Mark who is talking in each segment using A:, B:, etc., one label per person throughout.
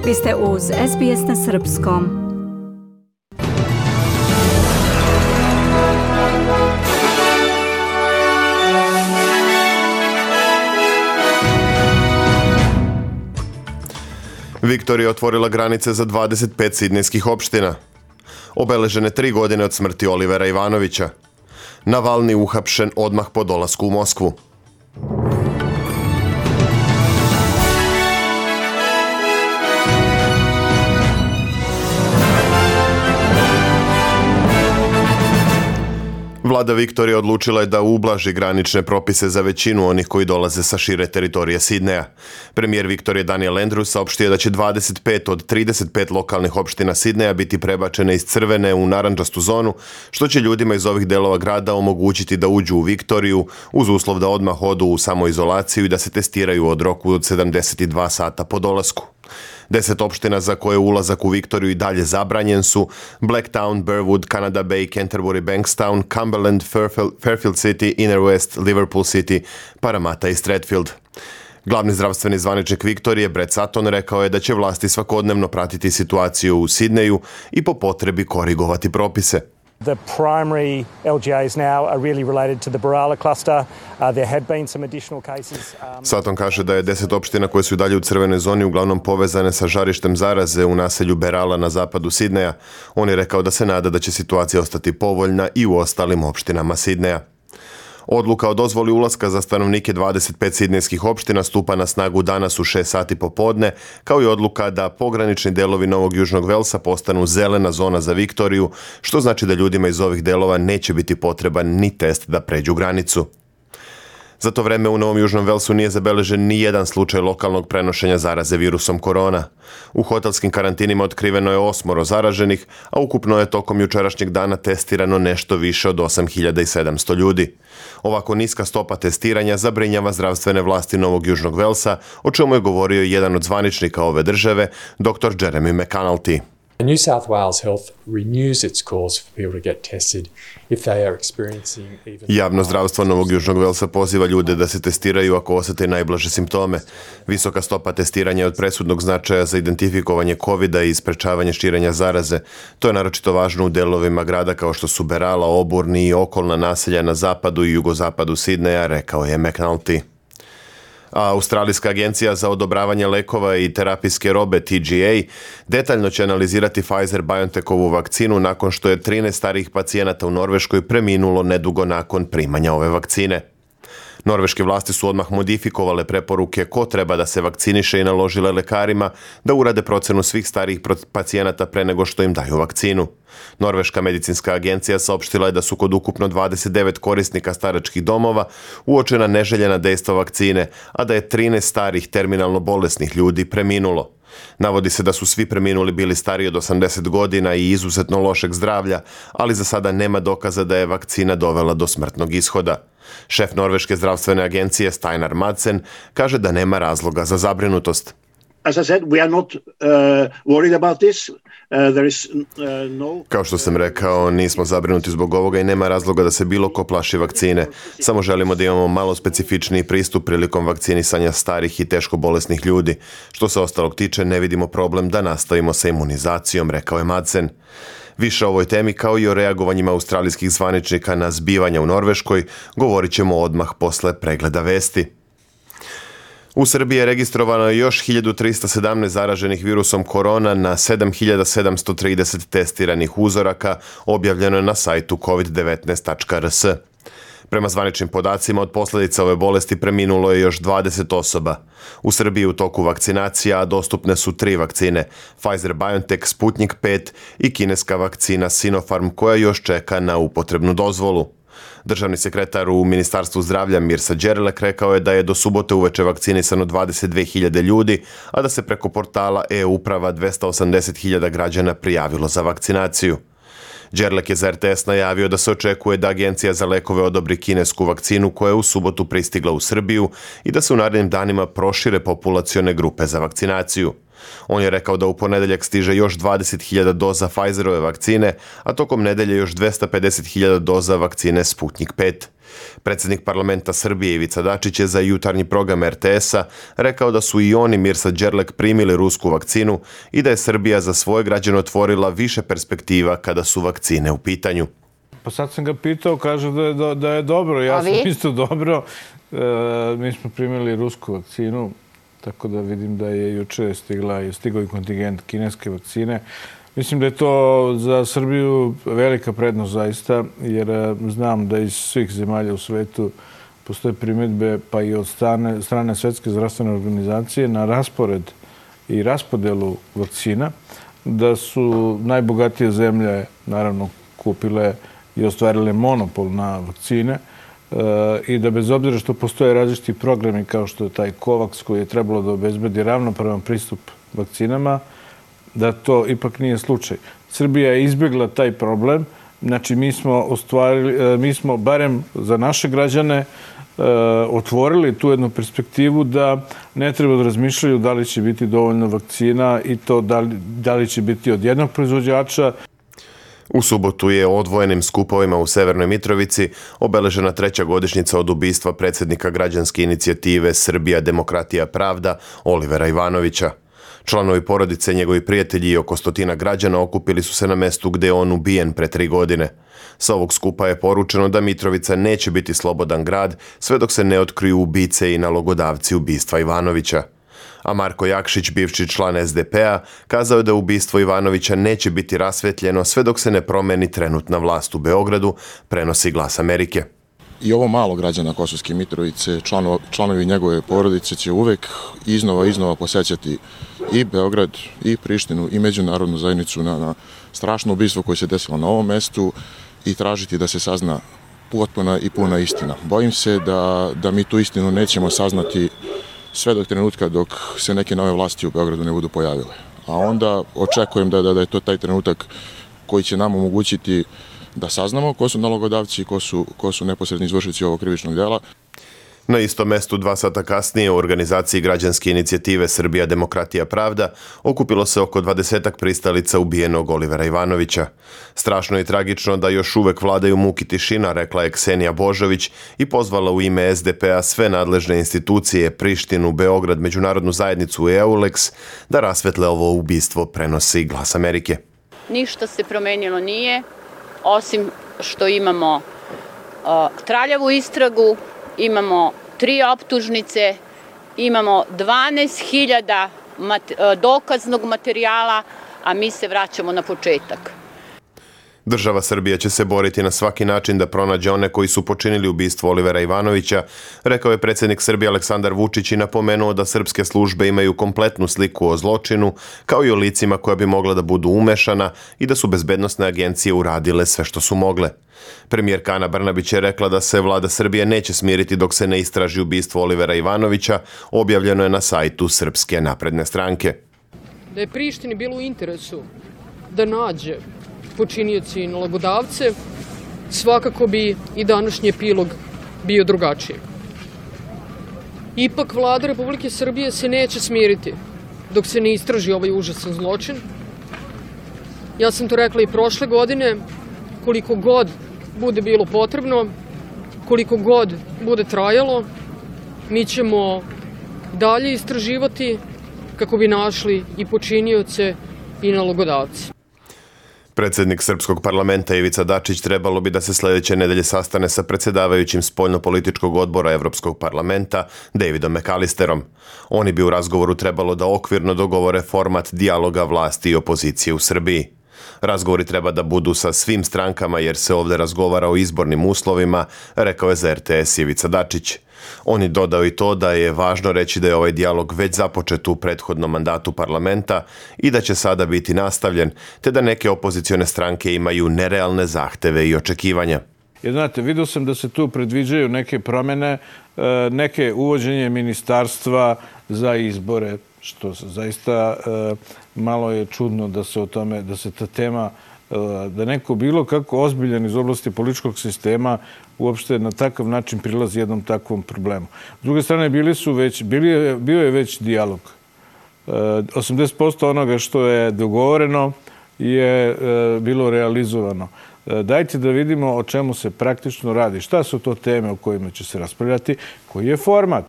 A: Vi ste uz SBS na srpskom.
B: Viktorija je otvorila granice za 25 sidnejskih opština. Obeležene 3 godine od smrti Olivera Ivanovića. Navalni uhapšen odmah po dolasku u Moskvu. Vlada Viktorije odlučila je da ublaži granične propise za većinu onih koji dolaze sa šire teritorije Sidneja. Premijer Viktorije Daniel Andrews saopštio je da će 25 od 35 lokalnih opština Sidneja biti prebačene iz crvene u narandžastu zonu, što će ljudima iz ovih delova grada omogućiti da uđu u Viktoriju uz uslov da odmah odu u samoizolaciju i da se testiraju od roku od 72 sata po dolasku. 10 opština za koje ulazak u Viktoriju i dalje zabranjen su Blacktown, Burwood, Canada Bay, Canterbury, Bankstown, Cumberland, Fairfield City, Inner West, Liverpool City, Parramatta i Strathfield. Glavni zdravstveni zvaničnik Viktorije, Brett Sutton, rekao je da će vlasti svakodnevno pratiti situaciju u Sidneju i po potrebi korigovati propise.
C: The primary LGAs now are really related to the Berala cluster. There have been some additional cases.
B: Sutton kaže da je 10 opština koje su i dalje u crvenoj zoni uglavnom povezane sa žarištem zaraze u naselju Berala na zapadu Sidneja. On je rekao da se nada da će situacija ostati povoljna i u ostalim opštinama Sidneja. Odluka o dozvoli ulaska za stanovnike 25 sidnejskih opština stupa na snagu danas u 6 sati popodne, kao i odluka da pogranični delovi Novog Južnog Velsa postanu zelena zona za Viktoriju, što znači da ljudima iz ovih delova neće biti potreban ni test da pređu granicu. Za to vreme u Novom Južnom Velsu nije zabeležen ni jedan slučaj lokalnog prenošenja zaraze virusom korona. U hotelskim karantinima otkriveno je 8 zaraženih, a ukupno je tokom jučerašnjeg dana testirano nešto više od 8700 ljudi. Ovako niska stopa testiranja zabrinjava zdravstvene vlasti Novog Južnog Velsa, o čemu je govorio jedan od zvaničnika ove države, dr. Jeremy McAnulty.
D: New South Wales Health renews its calls for people to get tested if they are experiencing even...
B: Javno zdravstvo Novog Južnog Velsa poziva ljude da se testiraju ako osjete najblaže simptome. Visoka stopa testiranja je od presudnog značaja za identifikovanje COVID-a i sprečavanje širenja zaraze. To je naročito važno u delovima grada kao što su Berala, Oburni i okolna naselja na zapadu i jugozapadu Sidneja, rekao je McAnulty. A Australijska agencija za odobravanje lekova i terapijske robe TGA detaljno će analizirati Pfizer-BioNTechovu vakcinu nakon što je 13 starijih pacijenata u Norveškoj preminulo nedugo nakon primanja ove vakcine. Norveške vlasti su odmah modifikovale preporuke ko treba da se vakciniše i naložile lekarima da urade procenu svih starijih pacijenata pre nego što im daju vakcinu. Norveška medicinska agencija saopštila je da su kod ukupno 29 korisnika staračkih domova uočena neželjena dejstva vakcine, a da je 13 starih terminalno bolesnih ljudi preminulo. Navodi se da su svi preminuli bili stariji od 80 godina i izuzetno lošeg zdravlja, ali za sada nema dokaza da je vakcina dovela do smrtnog ishoda. Šef Norveške zdravstvene agencije Steinar Madsen kaže da nema razloga za zabrinutost.
E: As I said, we are not worried about this. There is no...
B: Kao što sam rekao, nismo zabrinuti zbog ovoga i nema razloga da se bilo ko plaši vakcine. Samo želimo da imamo malo specifičniji pristup prilikom vakcinisanja starih i teško bolesnih ljudi. Što se ostalog tiče, ne vidimo problem da nastavimo sa imunizacijom, rekao je Madsen. Više o ovoj temi kao i o reagovanjima australijskih zvaničnika na zbivanja u Norveškoj govorit ćemo odmah posle pregleda vesti. U Srbiji je registrovano još 1317 zaraženih virusom korona na 7730 testiranih uzoraka, objavljeno je na sajtu covid19.rs. Prema zvaničnim podacima, od posljedica ove bolesti preminulo je još 20 osoba. U Srbiji u toku vakcinacija dostupne su 3 vakcine, Pfizer-BioNTech, Sputnik 5 i kineska vakcina Sinopharm koja još čeka na upotrebnu dozvolu. Državni sekretar u Ministarstvu zdravlja Mirsa Đerlek rekao je da je do subote uveče vakcinisano 22.000 ljudi, a da se preko portala e-uprava 280.000 građana prijavilo za vakcinaciju. Đerlek je za RTS najavio da se očekuje da Agencija za lekove odobri kinesku vakcinu koja je u subotu pristigla u Srbiju i da se u narednim danima prošire populacione grupe za vakcinaciju. On je rekao da u ponedeljak stiže još 20.000 doza Pfizerove vakcine, a tokom nedelje još 250.000 doza vakcine Sputnik 5. Predsjednik parlamenta Srbije Ivica Dačić je za jutarnji program RTS-a rekao da su i on i Mirsa Đerlek primili rusku vakcinu i da je Srbija za svoje građane otvorila više perspektiva kada su vakcine u pitanju.
F: Pa sad sam ga pitao, kaže da je dobro. Ja sam isto dobro. Mi smo primili rusku vakcinu, tako da vidim da je juče stigao i kontingent kineske vakcine. Mislim da je to za Srbiju velika prednost zaista, jer znam da iz svih zemalja u svetu postoje primjedbe, pa i od strane Svetske zdravstvene organizacije na raspored i raspodelu vakcina, da su najbogatije zemlje naravno kupile i ostvarile monopol na vakcine i da bez obzira što postoje različiti programi kao što je taj COVAX koji je trebalo da obezbedi ravnopravan pristup vakcinama, da to ipak nije slučaj. Srbija je izbjegla taj problem. Znači, mi smo barem za naše građane otvorili tu jednu perspektivu da ne treba da razmišljaju da li će biti dovoljno vakcina i to da li će biti od jednog proizvođača.
B: U subotu je odvojenim skupovima u Severnoj Mitrovici obeležena 3. godišnjica od ubistva predsjednika građanske inicijative Srbija, demokratija, pravda Olivera Ivanovića. Članovi porodice, njegovi prijatelji i oko 100 građana okupili su se na mestu gdje je on ubijen pre 3 godine. Sa ovog skupa je poručeno da Mitrovica neće biti slobodan grad sve dok se ne otkriju ubice i nalogodavci ubistva Ivanovića. A Marko Jakšić, bivši član SDP-a, kazao je da ubistvo Ivanovića neće biti rasvetljeno sve dok se ne promeni trenutna vlast u Beogradu, prenosi Glas Amerike.
G: I ovo malo građana Kosovske Mitrovice, članovi njegove porodice će uvek iznova posećati i Beograd, i Prištinu, i međunarodnu zajednicu na strašno ubistvo koje se desilo na ovom mestu i tražiti da se sazna potpuna i puna istina. Bojim se da mi tu istinu nećemo saznati sve do trenutka dok se neke nove vlasti u Beogradu ne budu pojavile. A onda očekujem da je to taj trenutak koji će nam omogućiti da saznamo ko su nalogodavci i ko su neposredni izvršitelji ovog krivičnog dela.
B: Na istom mestu 2 sata kasnije u organizaciji građanske inicijative Srbija, demokratija, pravda okupilo se oko 20 pristalica ubijenog Olivera Ivanovića. Strašno i tragično da još uvek vladaju muk i tišina, rekla je Ksenija Božović i pozvala u ime SDP-a sve nadležne institucije, Prištinu, Beograd, međunarodnu zajednicu i EULEX da rasvetle ovo ubistvo, prenosi Glas Amerike.
H: Ništa se promenilo nije, osim što imamo traljavu istragu, imamo 3 optužnice, imamo 12.000 dokaznog materijala, a mi se vraćamo na početak.
B: Država Srbija će se boriti na svaki način da pronađe one koji su počinili ubistvo Olivera Ivanovića, rekao je predsjednik Srbije Aleksandar Vučić i napomenuo da srpske službe imaju kompletnu sliku o zločinu, kao i o licima koja bi mogla da budu umešana i da su bezbednosne agencije uradile sve što su mogle. Premijerka Ana Brnabić je rekla da se vlada Srbije neće smiriti dok se ne istraži ubistvo Olivera Ivanovića, objavljeno je na sajtu Srpske napredne stranke.
I: Da je Prištini bilo u interesu da nađe počinioci i nalogodavce, svakako bi i današnji epilog bio drugačiji. Ipak vlada Republike Srbije se neće smiriti dok se ne istraži ovaj užasan zločin. Ja sam to rekla i prošle godine, koliko god bude bilo potrebno, koliko god bude trajalo, mi ćemo dalje istraživati kako bi našli i počinioce i nalogodavce.
B: Predsjednik Srpskog parlamenta Ivica Dačić trebalo bi da se sljedeće nedelje sastane sa predsjedavajućim spoljnopolitičkog odbora Evropskog parlamenta Davidom McAllisterom. Oni bi u razgovoru trebalo da okvirno dogovore format dijaloga vlasti i opozicije u Srbiji. Razgovori treba da budu sa svim strankama jer se ovdje razgovara o izbornim uslovima, rekao je za RTS Ivica Dačić. On je dodao i to da je važno reći da je ovaj dijalog već započet u prethodnom mandatu parlamenta i da će sada biti nastavljen, te da neke opozicione stranke imaju nerealne zahteve i očekivanja.
F: Jer znate, vidio sam da se tu predviđaju neke promjene, neke uvođenje ministarstva za izbore, što zaista malo je čudno da se o tome, da se ta tema, da neko bilo kako ozbiljan iz oblasti političkog sistema uopšte na takav način prilazi jednom takvom problemu. S druge strane, bio je već dijalog 80% onoga što je dogovoreno je bilo realizovano. Dajte da vidimo o čemu se praktično radi. Šta su to teme o kojima će se raspravljati, koji je format.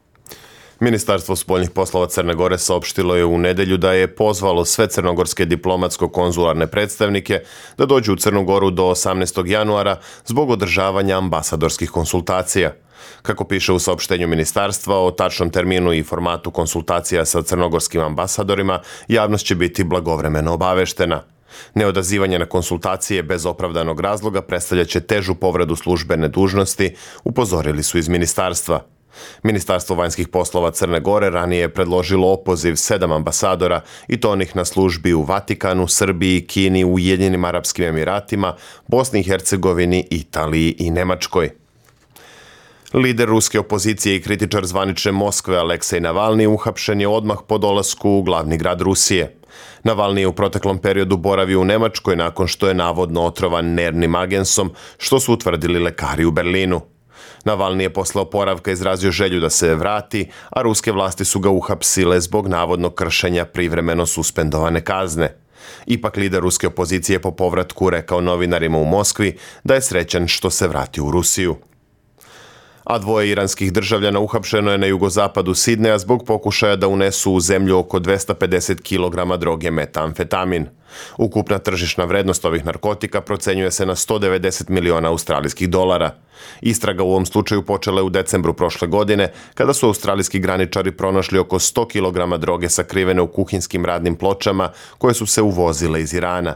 B: Ministarstvo spoljnih poslova Crne Gore saopštilo je u nedelju da je pozvalo sve crnogorske diplomatsko-konzularne predstavnike da dođu u Crnu Goru do 18. januara zbog održavanja ambasadorskih konsultacija. Kako piše u saopštenju ministarstva, o tačnom terminu i formatu konsultacija sa crnogorskim ambasadorima javnost će biti blagovremeno obaveštena. Neodazivanje na konsultacije bez opravdanog razloga predstavljaće težu povredu službene dužnosti, upozorili su iz ministarstva. Ministarstvo vanjskih poslova Crne Gore ranije je predložilo opoziv 7 ambasadora i to onih na službi u Vatikanu, Srbiji, Kini, Ujedinjenim Arapskim Emiratima, Bosni i Hercegovini, Italiji i Nemačkoj. Lider ruske opozicije i kritičar zvanične Moskve Aleksej Navalni uhapšen je odmah po dolasku u glavni grad Rusije. Navalni je u proteklom periodu boravio u Nemačkoj nakon što je navodno otrovan nervnim agensom, što su utvrdili lekari u Berlinu. Navalni je posle oporavka izrazio želju da se vrati, a ruske vlasti su ga uhapsile zbog navodnog kršenja privremeno suspendovane kazne. Ipak lider ruske opozicije po povratku rekao novinarima u Moskvi da je srećan što se vratio u Rusiju. A 2 iranskih državljana uhapšeno je na jugozapadu Sidneja zbog pokušaja da unesu u zemlju oko 250 kg droge metamfetamin. Ukupna tržišna vrednost ovih narkotika procenjuje se na 190 miliona australijskih dolara. Istraga u ovom slučaju počela je u decembru prošle godine, kada su australijski graničari pronašli oko 100 kg droge sakrivene u kuhinskim radnim pločama koje su se uvozile iz Irana.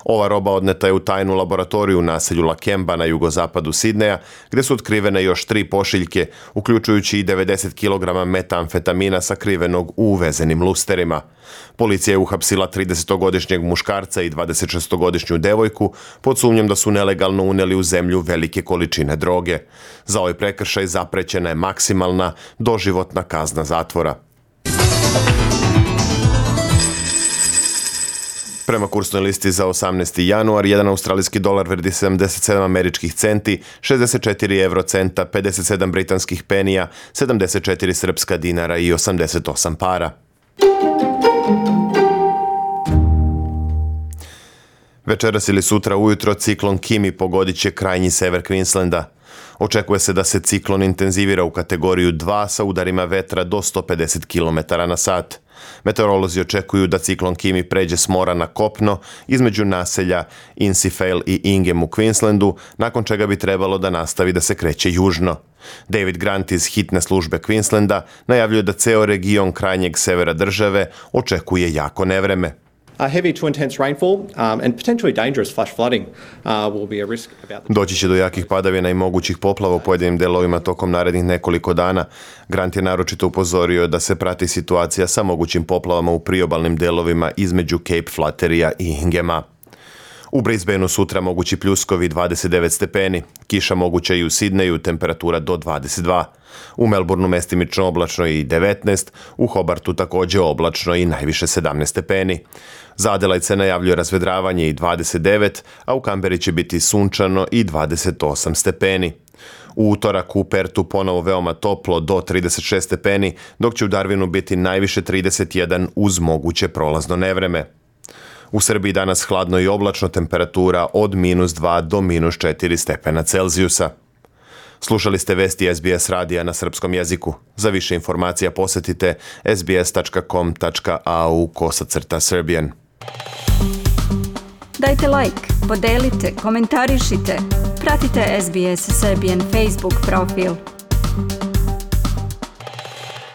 B: Ova roba odneta je u tajnu laboratoriju u naselju Lakemba na jugozapadu Sidneja, gde su otkrivene još 3 pošiljke, uključujući i 90 kg metamfetamina sakrivenog u uvezenim lusterima. Policija je uhapsila 30-godišnjeg muškarca i 26-godišnju devojku pod sumnjom da su nelegalno uneli u zemlju velike količine droge. Za ovaj prekršaj zaprećena je maksimalna doživotna kazna zatvora. Prema kursnoj listi za 18. januar, 1 australijski dolar vredi 77 američkih centi, 64 eurocenta, 57 britanskih penija, 74 srpska dinara i 88 para. Večeras ili sutra ujutro ciklon Kimi pogodit će krajnji sever Queenslanda. Očekuje se da se ciklon intenzivira u kategoriju 2 sa udarima vetra do 150 km na sat. Meteorolozi očekuju da ciklon Kimi pređe s mora na kopno između naselja Innisfail i Ingham u Queenslandu, nakon čega bi trebalo da nastavi da se kreće južno. David Grant iz hitne službe Queenslanda najavljuje da ceo region krajnjeg severa države očekuje jako nevreme.
J: Heavy to intense rainfall and potentially dangerous flash flooding will be a risk.
B: Doći će do jakih padavina i mogućih poplava u pojedinim delovima tokom narednih nekoliko dana. Grant je naročito upozorio da se prati situacija sa mogućim poplavama u priobalnim delovima između Cape Flatteryja i Inghama. U Brisbaneu sutra mogući pljuskovi 29 stepeni, kiša moguća i u Sidneju, temperatura do 22. U Melbourneu mestimično oblačno i 19, u Hobartu također oblačno i najviše 17 stepeni. Za Adelaide se najavljuje razvedravanje i 29, a u Kamberi će biti sunčano i 28 stepeni. U utorak u Pertu ponovo veoma toplo do 36 stepeni, dok će u Darwinu biti najviše 31 uz moguće prolazno nevreme. U Srbiji danas hladno i oblačno, temperatura od -2 do -4 stepena Celzijusa. Slušali ste vesti SBS radija na srpskom jeziku. Za više informacija posjetite sbs.com.au/Serbian.
A: Dajte like, podelite, komentarišite. Pratite SBS Serbian Facebook profil.